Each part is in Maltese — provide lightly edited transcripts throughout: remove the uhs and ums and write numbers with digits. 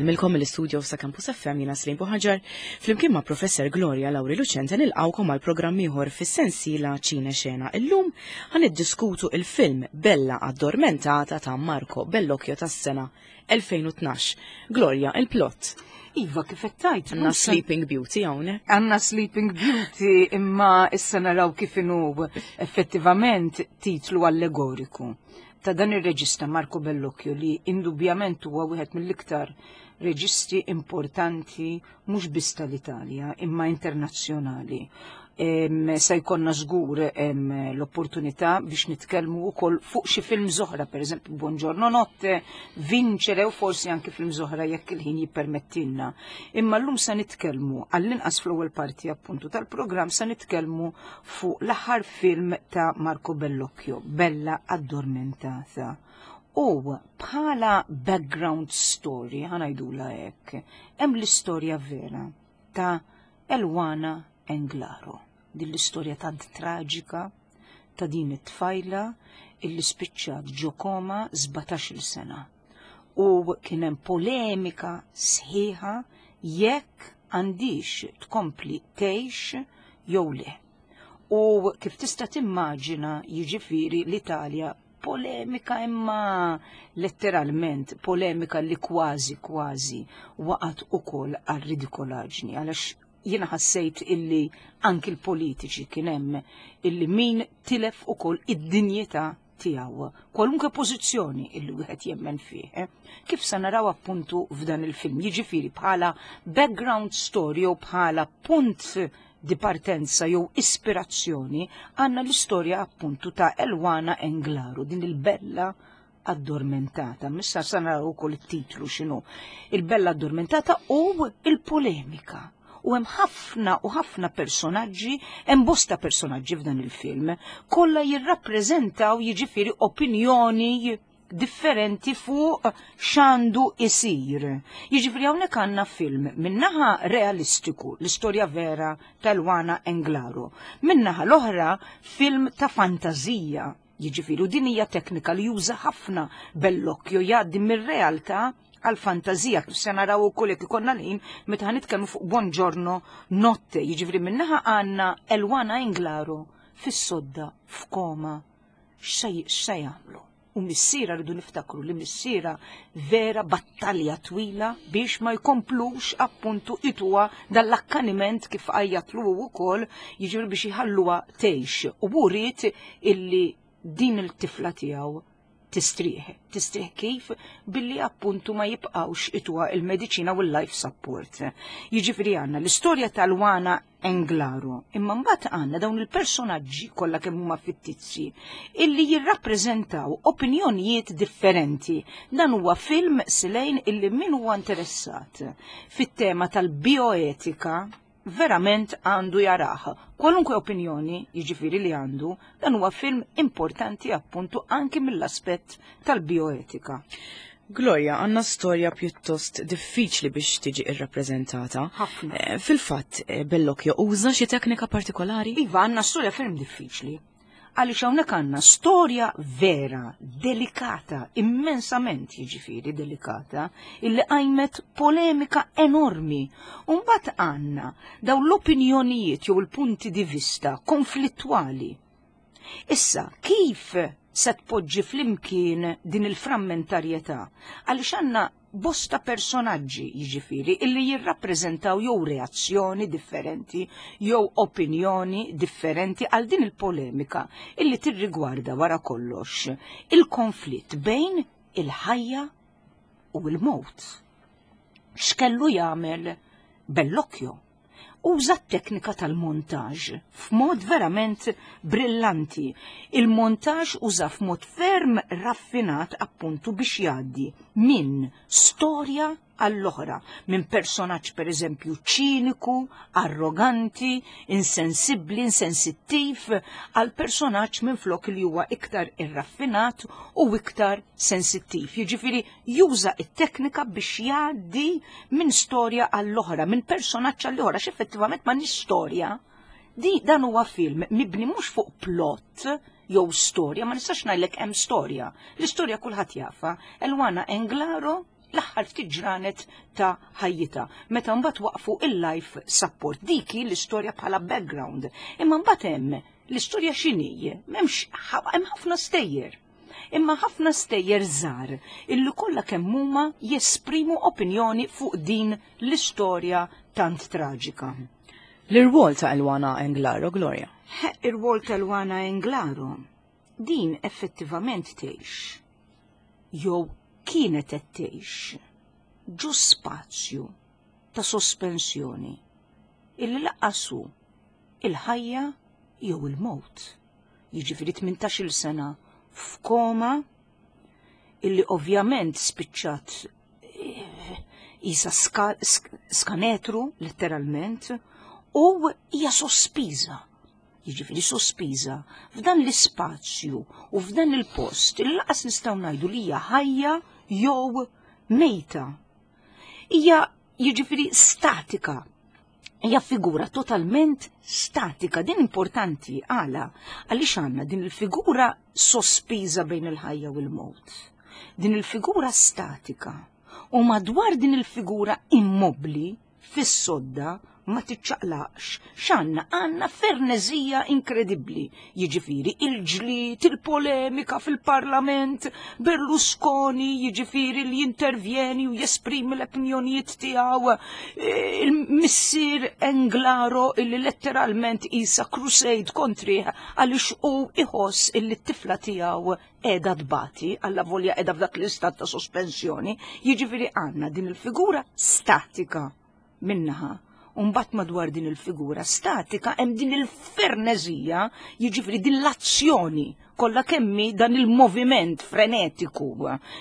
Insellmilkom mill-istudio sa' Campus FM jiena Slim Buħaġar, flimkien ma' Professor Gloria Lauri Lucente nilqawkom għal programm ieħor fis-sensiela Ċine Xena. Illum ħan iddiskutu il-film Bella Addormentata ta' Marco Bellocchio tas-sena 2012. Gloria, il-plot. Iva, kif qed tgħid. Għandna Sleeping Beauty hawnhekk. Għandna Sleeping Beauty imma issa naraw kif inhu effettivament titlu allegoriku ta' dan ir-reġista Marco Bellocchio li indubjament huwa wieħed mill-iktar reġisti importanti mhux biss tal-Italja imma internazzjonali. Se jkollna żgur l-opportunità biex nitkellmu wkoll fuq xi film oħra, pereżempju Buongiorno Notte, Vincere u forsi anki film oħra jekk il-ħin jippermettilna. Imma llum se nitkellmu għall-inqas fl-ewwel parti appuntu tal-programm se nitkellmu fuq l-aħħar film ta' Marco Bellocchio, Bella Addormentata. U bħala background story, ħanajdula hekk, hemm l-istorja vera ta' Elwana Englaro. Din l-istorja tant traġika ta' din it-tfajla illi spiċċat ġo koma 17-il sena. U kien hemm polemika sħiħa jekk għandix tkompli tgħix jew le. U kif tista' timmaġina jiġifieri l-Italja polemika imma letteralment polemika li kważi kważi waqgħet ukoll għal ridikolaġni għalax jiena ħassejt illi anki l-politiċi kien hemm illi min tilef ukoll id-dinjità tiegħu, kwalunkwe pożizzjoni illi wieħed jemmen fih. Eh? Kif se naraw appuntu f'dan il-film, jiġifieri bħala background story jew bħala punt di partenza jew ispirazzjoni għandna l-istorja appuntu ta' Elwana Englaro, din il-bella addormentata. Missa sa naraw ukoll it-titlu x'inhu. Il-bella addormentata u il-polemika. U hemm ħafna u ħafna personaġġi, hemm bosta personaġġi f'dan il-film, kollha jirrappreżentaw jiġifieri opinjoni differenti fuq x'għandu isir. Jiġifieri hawnhekk għandna film minnaħa realistiku, l-istorja vera tal-Wana Englaro, minnaħa l-oħra film ta' fantażija. Jiġifieri u din hija teknika li juża ħafna Bellocchio jgħaddi mir-realtà għal fantazija kif se naraw ukoll jekk ikollna l-ħin meta ħanitkellmu fuq Buongiorno Notte, jiġifieri minnaħa għandna Elwana Englaro fis-sodda f'koma x'se jagħmlu? U missiera rridu niftakru li missiera vera battalja twila biex ma jkomplux appuntu ituha dal-akkaniment kif għajjatlu wkoll jiġifieri biex jħalluha tgħix. U hu ried illi din il-tifla tiegħu tistrieħ. Tistrieħ kif? Billi appuntu ma jibqgħux ituha il-mediċina u l-life support. Jiġifieri għandna l-istorja tal-Wana Englaro. Imma mbagħad għandna dawn il-personaġġi kollha kemm huma fittizzi illi jirrappreżentaw opinjonijiet differenti. Dan huwa film silejn illi min huwa interessat fit-tema tal-bioetika verament għandu jarah. Kwalunkwe opinjoni, jiġifieri li għandu, dan huwa film importanti appuntu anki mill-aspett tal-bioetika. Gloria, għanna storja pjuttost diffiċli biex tiġi irrappreżentata. Ħafna. Eh, fil-fatt, eh, Bellocchio uża xi teknika partikolari? Iva, għanna storja ferm diffiċli. Għaliex hawnhekk għandna storja vera, delikata, immensament jiġifieri delikata, illi qajmet polemika enormi. U mbagħad għandna dawn l-opinjonijiet jew il-punti di vista konflittwali. Issa, kif se tpoġġi flimkien din il-frammentarjetà? Għaliex għandna bosta personaġġi jiġifieri illi jirrappreżentaw jew reazzjoni differenti jew opinjoni differenti għal din il-polemika illi tirrigwarda wara kollox il-konflitt bejn il-ħajja u l-mewt. X'kellu jagħmel Bellocchio? Uża t-teknika tal-montaġ f'mod verament brillanti. Il-montaġ uża f'mod ferm raffinat appuntu biex jgħaddi minn storja għall-oħra, minn personaġġ pereżempju ċiniku, arroganti, insensibbli, insensittiv, għal personaġġ minflok li huwa iktar irraffinat u iktar sensittiv. Jiġifieri juża t-teknika biex jgħaddi minn storja għall-oħra, minn personaġġ għall-oħra, x'effettivament ma storja. Di dan huwa film mibni mhux fuq plot jew storja, ma nistax ngħidlek hemm storja. L-istorja kulħadd jafa. Elwana Englaro L-aħħar ftit ġranet ta' ħajjitha, meta mbagħad waqfu il-life support. Dik hi l-istorja bħala background. Imma mbagħad hemm l-istorja x'inhi, m'hemmx hemm ħafna stejjer. Imma ħafna stejjer żgħar illi kollha kemm huma jesprimu opinjoni fuq din l-istorja tant traġika. L-irwol ta' Elwana Englaro, Gloria. Ir-rwol ta' Elwana Englaro din effettivament tgħix jew kienet qed tgħix ġo spazju ta' sospensjoni illi lanqas hu il-ħajja jew il-mewt. Jiġifieri 18-il sena f'koma illi ovvjament spiċċat isa skanetru letteralment u hija sospiża. Jiġifieri sospiża f'dan l-ispazju u f'dan il-post il lanqas nistgħu ngħidu li hija ħajja jew mejta. Hija jiġifieri statika. Hija figura totalment statika. Din importanti għala għaliex għandna din il-figura sospiża bejn il-ħajja u l-mewt. Din il-figura statika u madwar din il-figura immobbli fis-sodda ma tiċċaqlaqx, x'għandna? Għandna fernezija inkredibbli. Jiġifieri il-ġlied, il-polemika fil-Parlament, Berlusconi jiġifieri li jintervjeni u jesprimi l-opinjonijiet tiegħu, il-missier Englaro illi letteralment isa crusade kontrih għaliex hu iħoss illi t-tifla tiegħu qiegħda tbati, alla volja qiegħda f'dak l-istat ta' sospensjoni, jiġifieri għandna din il-figura statika minnaħa. Umbat madwar din il-figura statika hemm din il-fernezija, jiġifieri din l-azzjoni kollha kemmi dan il-moviment frenetiku.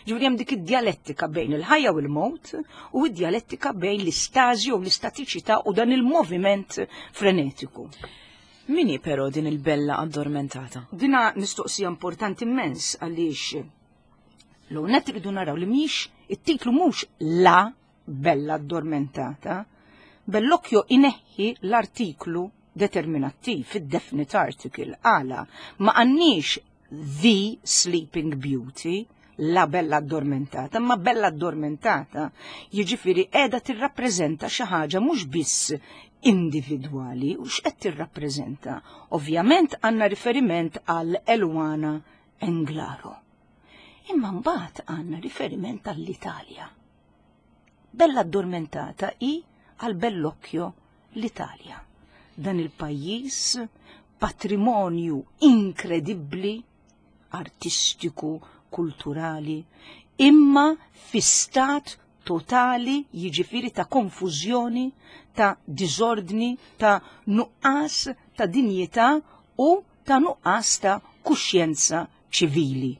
Ġifieri hemm dik id-djalettika bejn il-ħajja u l-mewt u id-djalettika bejn l-istażi u l-istatiċità u dan il-moviment frenetiku. Min hi però din il-Bella addormentata? Dina mistoqsija importanti immens għaliex l-għonet rridu naraw li mhix it-titlu mhux la Bella addormentata. Bellocchio ineħħi l-artiklu determinattiv, id-definite article, għala ma għandniex the Sleeping Beauty, la Bella addormentata, ma Bella addormentata, jiġifieri qiegħda tirrappreżenta xi ħaġa mhux biss individwali u x'qed tirrappreżenta. Ovvjament għandna riferiment għal Elwana Englaro. Imma mbagħad għandna riferiment għall-Italja. Bella addormentata hi għal Bellocchio l-Italja. Dan il-pajjiż patrimonju inkredibbli artistiku, kulturali, imma fi stat totali jiġifieri ta' konfużjoni, ta' diżordni, ta' nuqqas ta' dinjità u ta' nuqqas ta' kuxjenza ċivili.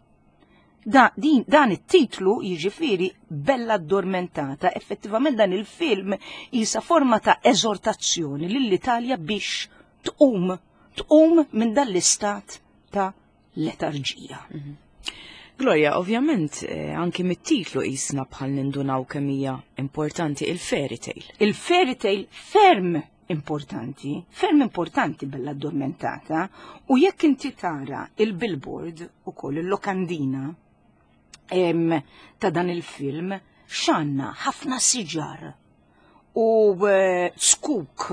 Da, din, dan it-titlu jiġifieri Bella Addormentata, effettivament dan il-film jisa forma ta' eżortazzjoni lill-Italja biex tqum, tqum minn dan l-istat ta' letarġija. Gloria, ovvjament, anki mit-titlu jisna bħal nindunaw kemm hija importanti il-fairy tale. Il-fairy tale ferm importanti, ferm importanti Bella Addormentata, u jekk inti tara il-billboard u koll il-lokandina ta' dan il-film, x'għandna ħafna siġar u skuk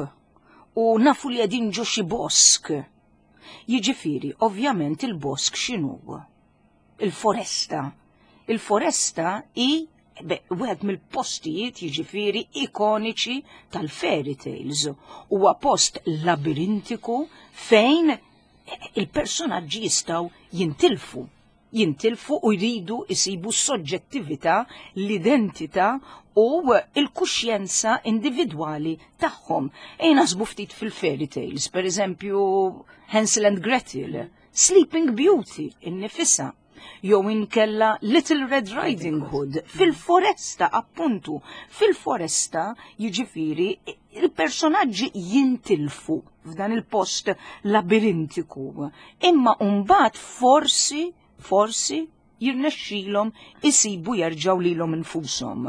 u nafu li qegħdin ġo xi bosk. Jiġifieri, ovvjament il-bosk x'inhu? Il-foresta. Il-foresta hi wieħed mill-postijiet jiġifieri ikoniċi tal-fairy tales. Huwa post labirintiku fejn il-personaġġi jistgħu jintilfu. Jintilfu u jridu jsibu s-soġġettività, l-identità u l-kuxjenza individwali tagħhom. Ejja naħsbu ftit fil-fairy tales, per eżempju Hansel and Gretel, Sleeping Beauty innifisha, jew inkella Little Red Riding Hood, fil-foresta appuntu, fil-foresta jiġifieri il-personaġġi jintilfu f'dan il-post labirintiku, imma mbagħad forsi jirnexxilhom isibu jerġgħu lilhom infushom.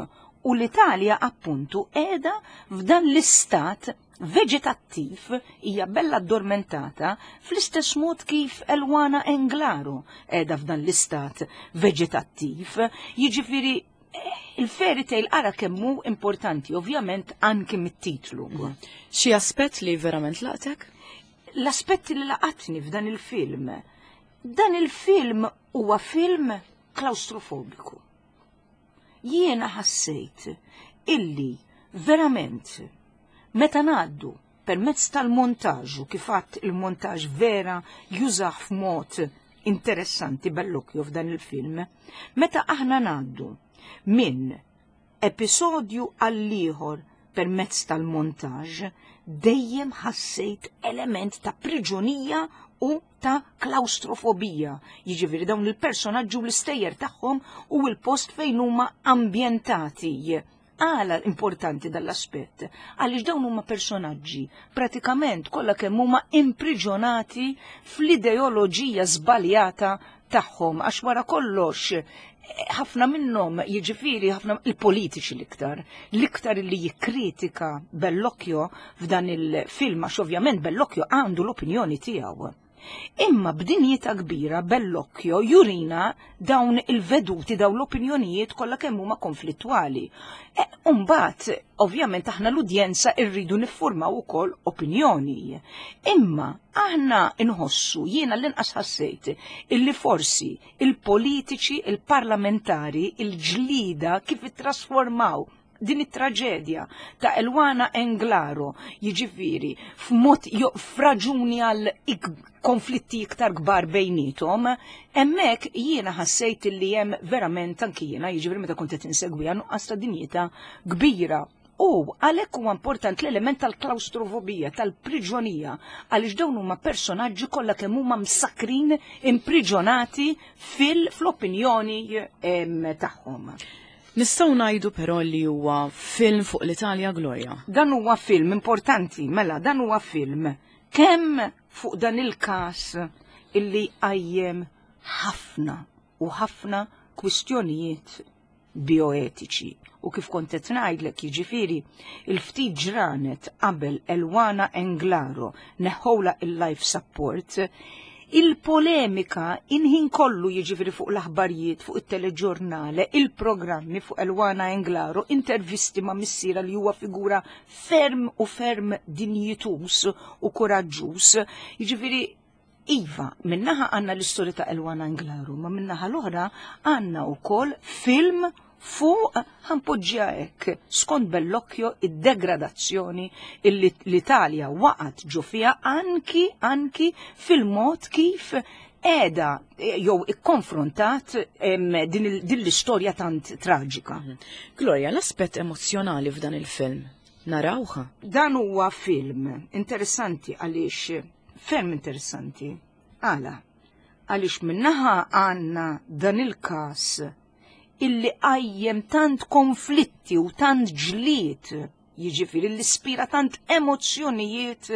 U l-Italja appuntu qiegħda f'dan l-istat veġetattiv, hija bella addormentata fl-istess mod kif Elwana Englaro qiegħda f'dan l-istat veġetattiv. Jiġifieri Il-fairy tale ara kemm hu importanti, ovvjament anki mit-titlu. Xi aspett li verament laqtek? L-aspetti li laqatni f'dan il-film. Dan il-film huwa film klaustrofobiku. Jiena ħassejt illi verament meta ngħaddu permezz tal-montaġġ u kif għadt il-montaġġ vera jużah f'mod interessanti Bellocchio f'dan il-film, meta aħna ngħaddu minn episodju għall-ieħor permezz tal-montaġġ, dejjem ħassejt element ta' priġunija u ta' klaustrofobija. Jiġifieri dawn il-personaġġi u l-istejjer tagħhom u l-post fejn huma ambjentati. Għala importanti dal-aspett? Għaliex dawn huma personaġġi pratikament kollha kemm huma impriġonati fl-ideoloġija żbaljata tagħhom għax wara kollox ħafna minnhom jiġifieri ħafna il-politiċi l-iktar, l-iktar li jikkritika Bellocchio f'dan il-film għax ovvjament Bellocchio għandu l-opinjoni tiegħu. Imma b'dinjità kbira Bellocchio jurina dawn il-veduti, dawn l-opinjonijiet kollha kemm huma konflittwali. E, Umbagħad, ovvjament aħna l-udjenza rridu niffurmaw ukoll opinjoni. Imma aħna nħossu, jiena l-inqas ħassejt, illi forsi il-politiċi, il-parlamentari, il-ġlida kif ittrasformaw din it-traġedja ta' Elwana Englaro, jiġifieri f'mod f'raġuni għal konflitti iktar kbar bejnietom, hemmhekk jiena ħassejt li hemm verament anki jiena, jiġifieri meta kont qed insegwiha nuqqas ta' dinjità kbira. U għalhekk huwa importanti l-element tal-klaustrofobija, tal-priġonija, għaliex dawn huma personaġġi kollha kemm huma msakkrin, impriġonati fil-opinjoni tagħhom. Nistgħu ngħidu però li huwa film fuq l-Italja, Gloria? Dan huwa film importanti, mela dan huwa film kemm fuq dan il-każ illi qajjem ħafna u ħafna kwistjonijiet bioetiċi. U kif kont qed ngħidlek jiġifieri il-ftit ġranet qabel Elwana Englaro neħħowla il-life support, il-polemika inħin kollu jiġifieri fuq l-aħbarijiet, fuq it-teleġurnale, il-programmi fuq Elwana Englaro, intervisti ma' missiera li huwa figura ferm u ferm dinjituż u kuraġġuż. Jiġifieri Iva, minnaħa għandna l-istorja ta' Elwana Englaro, ma minnaħa l-oħra għandna wkoll film fuq ħanpoġġiha hekk, skont Bellocchio id-degradazzjoni illi l-Italja waqgħet ġo fiha anki anki fil-mod kif qiegħda jew ikkonfrontat din l-istorja tant traġika. Gloria, l-aspett emozzjonali f'dan il-film narawha? Dan huwa film interessanti għaliex ferm interessanti. Għala? Għaliex minnaħa għandna dan il-każ illi qajjem tant konflitti u tant ġlied, jiġifieri li spira tant emozzjonijiet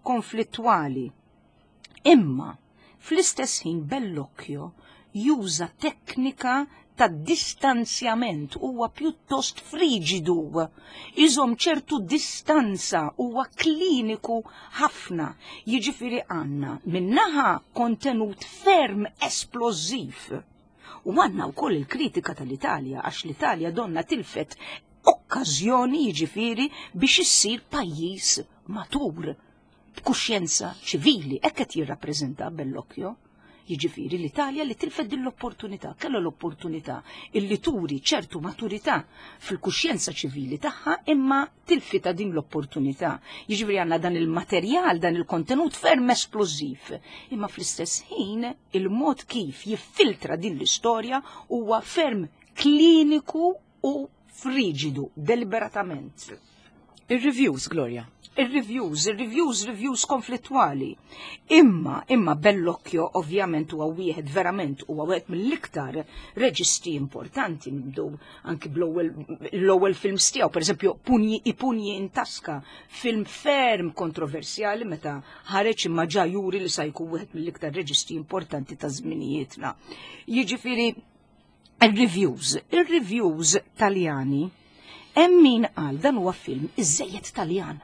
konflittwali. Imma fl-istess ħin Bellocchio juża teknika ta' distanzjament, huwa pjuttost friġidu, iżomm ċertu distanza, huwa kliniku ħafna. Jiġifieri għandna minnaħa kontenut ferm esplożiv. U għandna wkoll il-kritika tal-Italja, għax l-Italja donna tilfet okkażjoni jiġifieri biex issir pajjiż matur, b'kuxjenza ċivili, hekk qed jirrappreżenta Bellocchio. Jiġifieri l-Italja li tilfet din l-opportunità, kellha l-opportunità illi turi ċertu maturità fil-kuxjenza ċivili tagħha imma tilfita din l-opportunità. Jiġifieri għandna dan il-materjal, dan il-kontenut ferm esplożiv, imma fl-istess ħin il-mod kif jiffiltra din l-istorja huwa ferm kliniku u friġidu, deliberatament. Ir-reviews, Gloria. Ir-reviews, ir-reviews, reviews konflittwali. Imma, imma Bellocchio ovvjament huwa wieħed verament huwa wieħed mill-iktar reġisti importanti nibdew anki bl-ewwel films tiegħu, pereżempju Punji i Punji in Tasca, film ferm kontroversjali meta ħareġ imma ġa juri li sa jkun wieħed mill-iktar reġisti importanti ta' żminijietna. Jiġifieri ir-reviews, ir-reviews Taljani, hemm min qal dan huwa film iżejjed Taljan.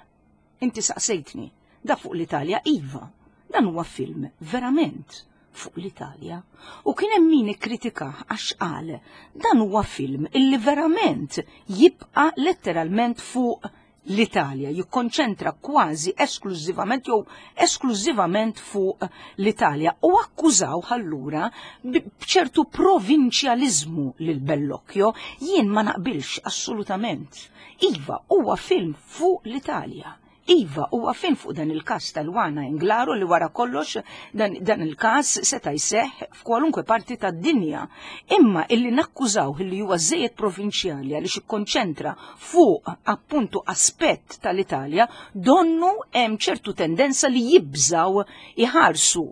Inti saqsejtni, da fuq l-Italja iva, dan huwa film verament. fuq l-Italja. U kien hemm min ikkritikah għax qal dan huwa film illi verament jibqa' letteralment fuq l-Italja, jikkonċentra kważi esklużivament jew esklużivament fuq l-Italja u akkużaw allura b'ċertu provinċjaliżmu lil Bellocchio, jien ma naqbilx assolutament. Iva, huwa film fuq l-Italja. Iva, huwa film fuq dan il-każ tal-Wana Englaro li wara kollox dan, dan il-każ seta' jseħħ f'kwalunkwe parti tad-dinja. Imma illi nakkużaw illi huwa żejjed provinċjali għaliex ikkonċentra fuq appuntu aspett tal-Italja, donnu hemm ċertu tendenza li jibżaw iħarsu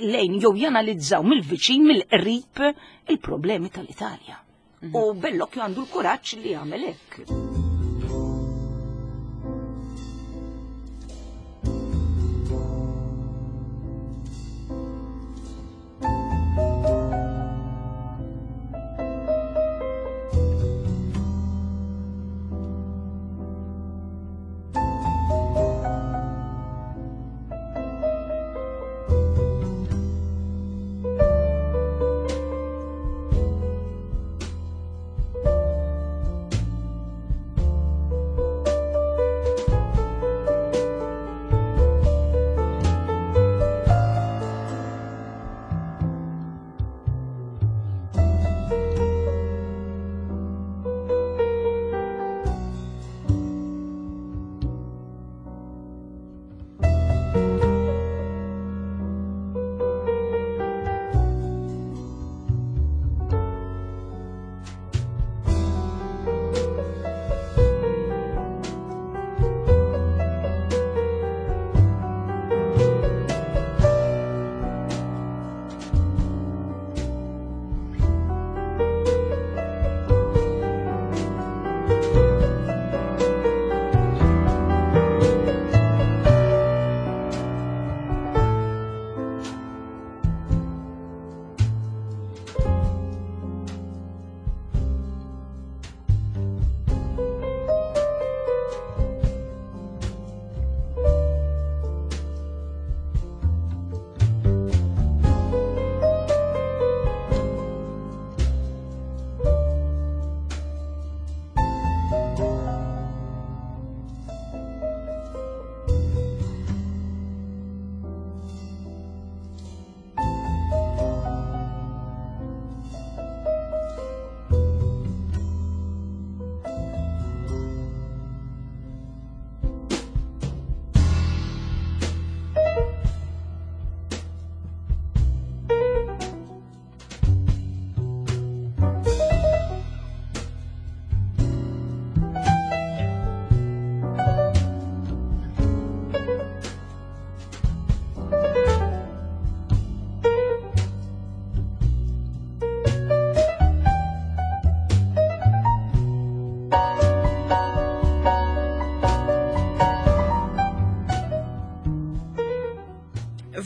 lejn jew janalizzaw mill-viċin mill-qrib il-problemi tal-Italja. U Bellocchio għandu l-kuraġġ li jagħmel hekk.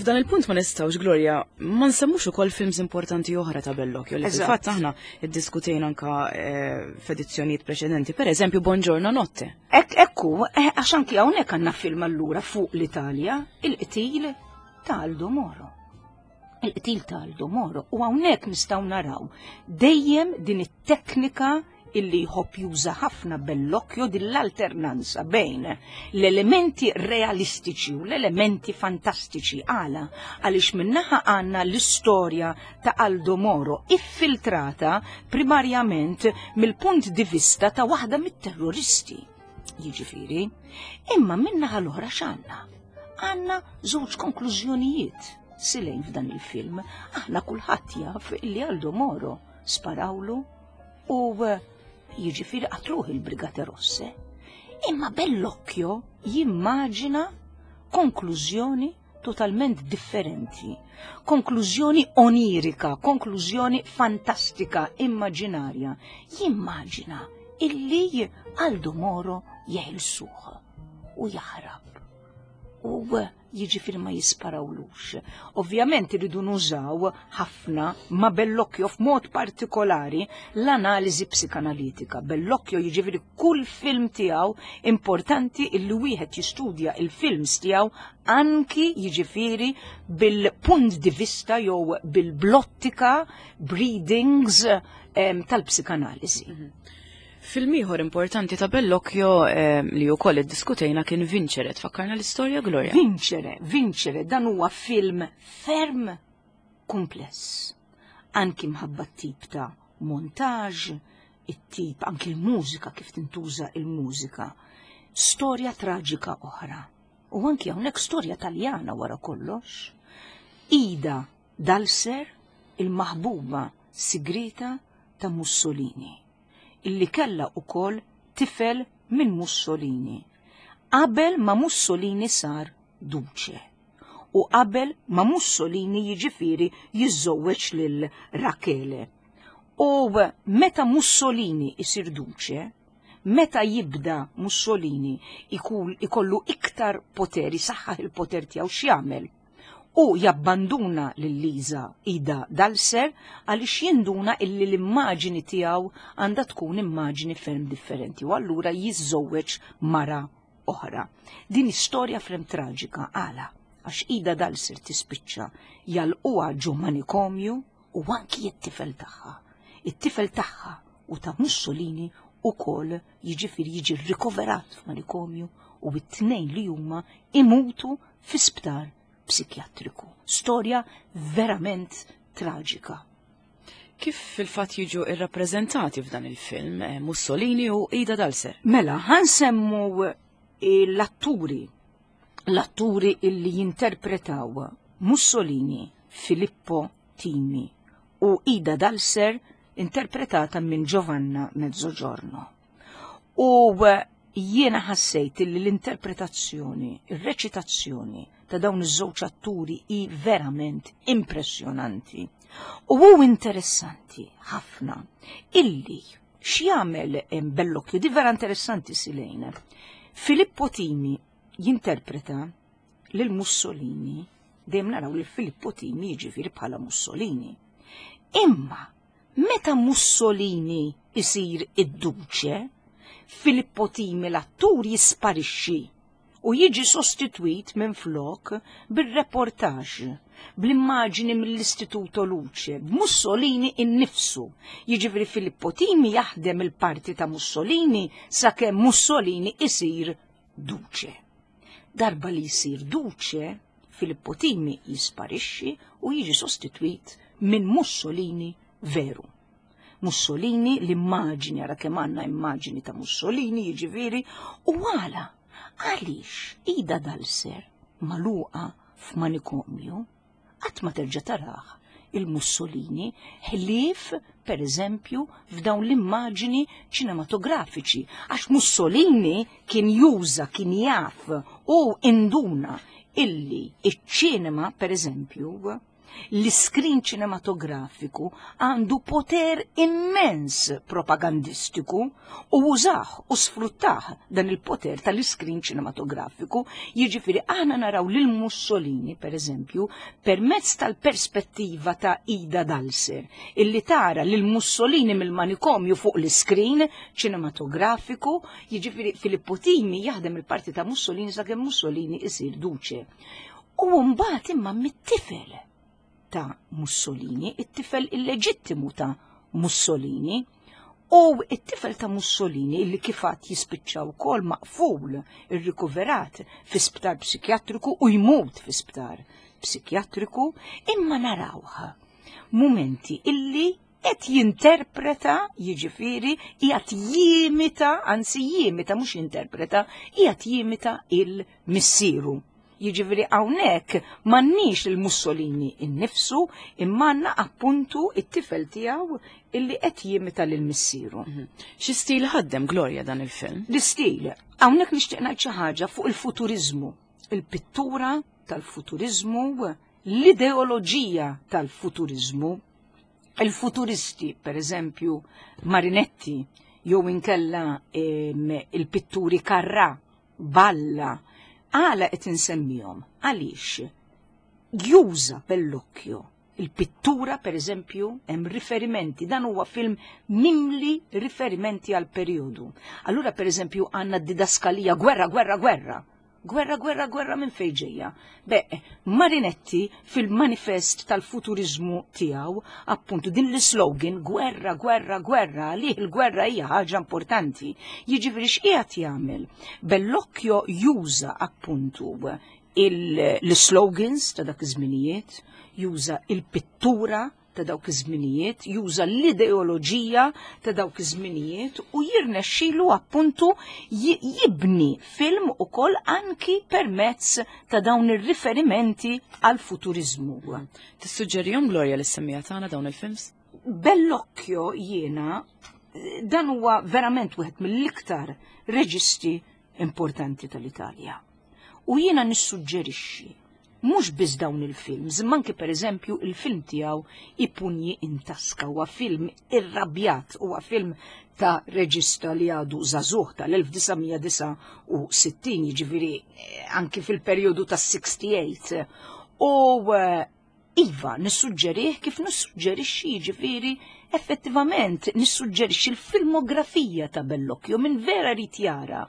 F'dan il-punt ma nistgħux, Gloria, ma nsemmux ukoll films importanti oħra ta' Bellocchio li fil-fatt aħna iddiskutejna anka eh, f'edizzjonijiet preċedenti, per eżempju Buongiorno Notte. Ek ekku, eh, għax anki hawnhekk għandna film allura fuq l-Italja, il-qtil ta' Aldo Moro. Il-qtil ta' Aldo Moro u hawnhekk nistgħu naraw dejjem din it-teknika illi jħobb juża ħafna Bellocchio din l-alternanza bejn l-elementi realistiċi u l-elementi fantastiċi. Għala? Għaliex minnaħa għandna l-istorja ta' Aldo Moro iffiltrata primarjament mill-punt di vista ta' waħda mit-terroristi. Jiġifieri, imma minnaħa l-oħra x'għandna? Għandna żewġ konklużjonijiet silejn f'dan il-film. Aħna kulħadd jaf illi Aldo Moro sparawlu u eh, jiġifieri qatluh il-Brigate Rosse. Imma Bellocchio jimmaġina konklużjoni totalment differenti, konklużjoni onirika, konklużjoni fantastika, immaġinarja. Jimmaġina illi Aldo Moro jeħilsuh u jaħrab. U jiġifieri ma jisparawlux. Ovvjament iridu nużaw ħafna ma' Bellocchio f'mod partikolari l-analiżi psikanalitika. Bellocchio jiġifieri kull film tiegħu importanti illi wieħed jistudja il-films tiegħu anki jiġifieri bil-punt di vista jew bil-blottika breedings tal-psikanaliżi. Film ieħor importanti ta' Bellocchio li wkoll iddiskutejna kien Vincere. Tfakkarna l-istorja, Gloria? Vincere, Vincere, dan huwa film ferm kumpless. Anki mħabba t-tip ta' montaġ, it-tip anki l-mużika kif tintuża il-mużika. Storja traġika oħra. U anki hawnhekk storja Taljana wara kollox. Ida Dalser, il-maħbuba sigrita ta' Mussolini, illi kellha ukoll tifel minn Mussolini, qabel ma Mussolini sar duce u qabel ma Mussolini jiġifieri jiżżewweġ lil Rachele. U meta Mussolini isir duce, meta jibda Mussolini ikollu iktar poter, isaħħaħ il-poter tiegħu x'jagħmel? U jabbanduna lil Liza Ida Dalser għaliex jinduna illi l-immaġini tiegħu għandha tkun immaġini ferm differenti u allura jiżżewweġ mara oħra. Din istorja ferm traġika għala għax Ida Dalser tispiċċa jalquha ġo manikomju u anki it-tifel tagħha. It-tifel tagħha u ta' Mussolini ukoll jiġifieri jiġi rikoverat f'manikomju u t-tnejn li huma imutu fi sptar psikjatriku. Storja verament traġika. Kif fil-fatt jiġu irrappreżentati f'dan il-film Mussolini u Ida Dalser? Mela, ħansemmu l-atturi, l-atturi illi jinterpretaw Mussolini, Filippo Timi u Ida Dalser interpretata minn Giovanna Mezzogiorno. U jiena ħassejt li l-interpretazzjoni, ir-reċitazzjoni ta' dawn iż-żewġ atturi hi verament impressjonanti. U hu interessanti ħafna illi x'jagħmel Bellocchio, di vera interessanti Silejn. Filippo Timi jinterpreta lil Mussolini, dejjem naraw lil Filippo Timi jiġifieri bħala Mussolini. Imma meta Mussolini isir id-duċe, Filippo Timi l-attur jisparixxi u jiġi sostitwit minn flok bir-reportaġ, bl-immaġini mill-Istituto Luce, b'Mussolini innifsu. Jiġifieri Filippo Timi jaħdem il-parti ta' Mussolini sakemm Mussolini isir duċe. Darba li jsir duċe, Filippo Timi jisparixxi u jiġi sostitwit minn Mussolini veru. Mussolini, l-immaġini, ara kemm għandna immaġini ta' Mussolini, jiġifieri, u għala, għaliex Ida Dalser magħluqa f'manikomju qatt ma terġa' tarah il-Mussolini ħlief per eżempju f'dawn l-immaġini ċinematografiċi, għax Mussolini kien juża, kien jaf u induna illi iċ-ċinema per eżempju l-iskrin ċinematografiku għandu poter immens propagandistiku u użah u sfruttah dan il-poter tal-iskrin ċinematografiku. Jiġifieri aħna naraw lil Mussolini, per eżempju, permezz tal-perspettiva ta' Ida Dalser, illi tara lil Mussolini mill-manikomju fuq l-iskrin ċinematografiku, jiġifieri Filippo Timi jaħdem il-parti ta' Mussolini sakemm Mussolini isir duċe. U mbagħad imma mit-tifel ta' Mussolini, it-tifel illeġittimu ta' Mussolini, u it-tifel ta' Mussolini illi kifat jispiċċa wkoll maqful, irrikuverat fi sptar psikjatriku u jmut fi sptar psikjatriku, imma narawh mumenti illi qed jinterpreta, jiġifieri qiegħed jimita, anzi jimita mhux jinterpreta, qiegħed jimita il-missieru. Jiġifieri hawnhekk m'għandniex lil Mussolini innifsu imma għandna appuntu it-tifel tiegħu illi qed jimita lil missieru. Xi stil ħaddem Gloria dan il-film? L-istil, hawnhekk nixtieq ngħid xi ħaġa fuq il-futuriżmu, il-pittura tal-futuriżmu, l-ideoloġija tal-futuriżmu. Il-futuristi, per eżempju, Marinetti, jew inkella il-pitturi Carrà, Balla, Għala qed insemmihom? Għaliex juża Bellocchio il-pittura, per eżempju, hemm riferimenti, dan huwa film mimli riferimenti għal periodu. Allura, per eżempju, għandna d-didaskalija gwerra, gwerra, gwerra. Gwerra, gwerra, gwerra minn fejn ġejja. Be, Marinetti fil-manifest tal-futurizmu tiegħu, appuntu din l-slogan gwerra, gwerra, gwerra, għalih il-gwerra hija ħaġa importanti. Jiġifieri x'qiegħed jagħmel? Bellocchio juża appuntu l-slogans ta' dak iż-żminijiet, juża il-pittura ta' dawk iż-żminijiet, juża l-ideoloġija ta' dawk iż-żminijiet u jirnexxilu appuntu jibni film ukoll anki permezz ta' dawn ir-riferimenti għal futurizmu. Tissuġġerihom Gloria lis-semmiegħa tagħna dawn il-films? Bellocchio jiena dan huwa verament wieħed mill-iktar reġisti importanti tal-Italja. U jiena nissuġġerixxi mhux biss dawn il-films, imma anke pereżempju il-film tiegħu I pugni in tasca huwa film irrabjat, huwa film ta' reġista li għadu żagħżugħ tal-1969, jiġifieri anki fil-perjodu tas-68. U Iva, nissuġġerih kif nissuġġerixxi jiġifieri effettivament nissuġġerixxi l-filmografija ta' Bellocchio min vera jrid jara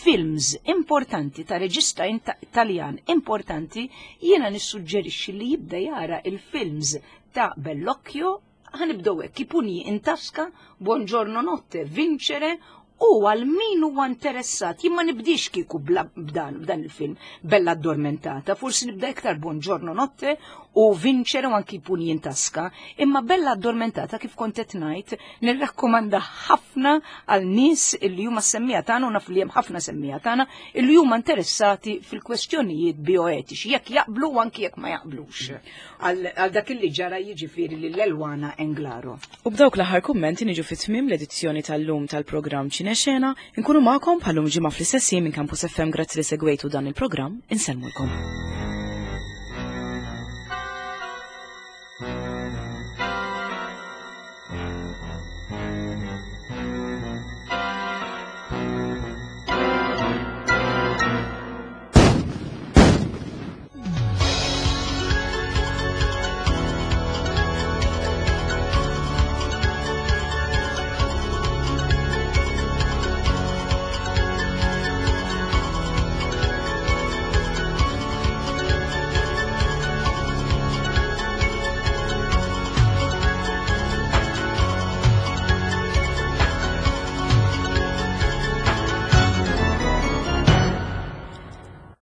films importanti ta' reġista Taljan importanti jiena nissuġġerixxi li jibda jara il-films ta' Bellocchio ħanibdew hekk, I pugni in tasca, Buongiorno notte, Vincere u għal min huwa interessat, jien ma nibdix kieku b'dan b'dan il-film Bella Addormentata, forsi nibda iktar Buongiorno Notte u Vincere u anki Pugni in Tasca, imma Bella Addormentata kif kont qed ngħid nirrakkomanda ħafna għal nies illi huma semmiegħa tagħna u naf li hemm ħafna semmiegħa tagħna illi huma interessati fil-kwestjonijiet bioetiċi, jekk jaqblu u anki jekk ma jaqblux. Għal dak illi ġara jiġifieri lil Elwana Englaro. U b'dawk l-aħħar kummenti niġu fi tmiem l-edizzjoni tal-lum tal-programm Ċinexena, inkunu magħkom bħal-lum ġimgħa fl-istess jiem minn Campus FM grazzi li segwejtu dan il-programm, insellmulkom.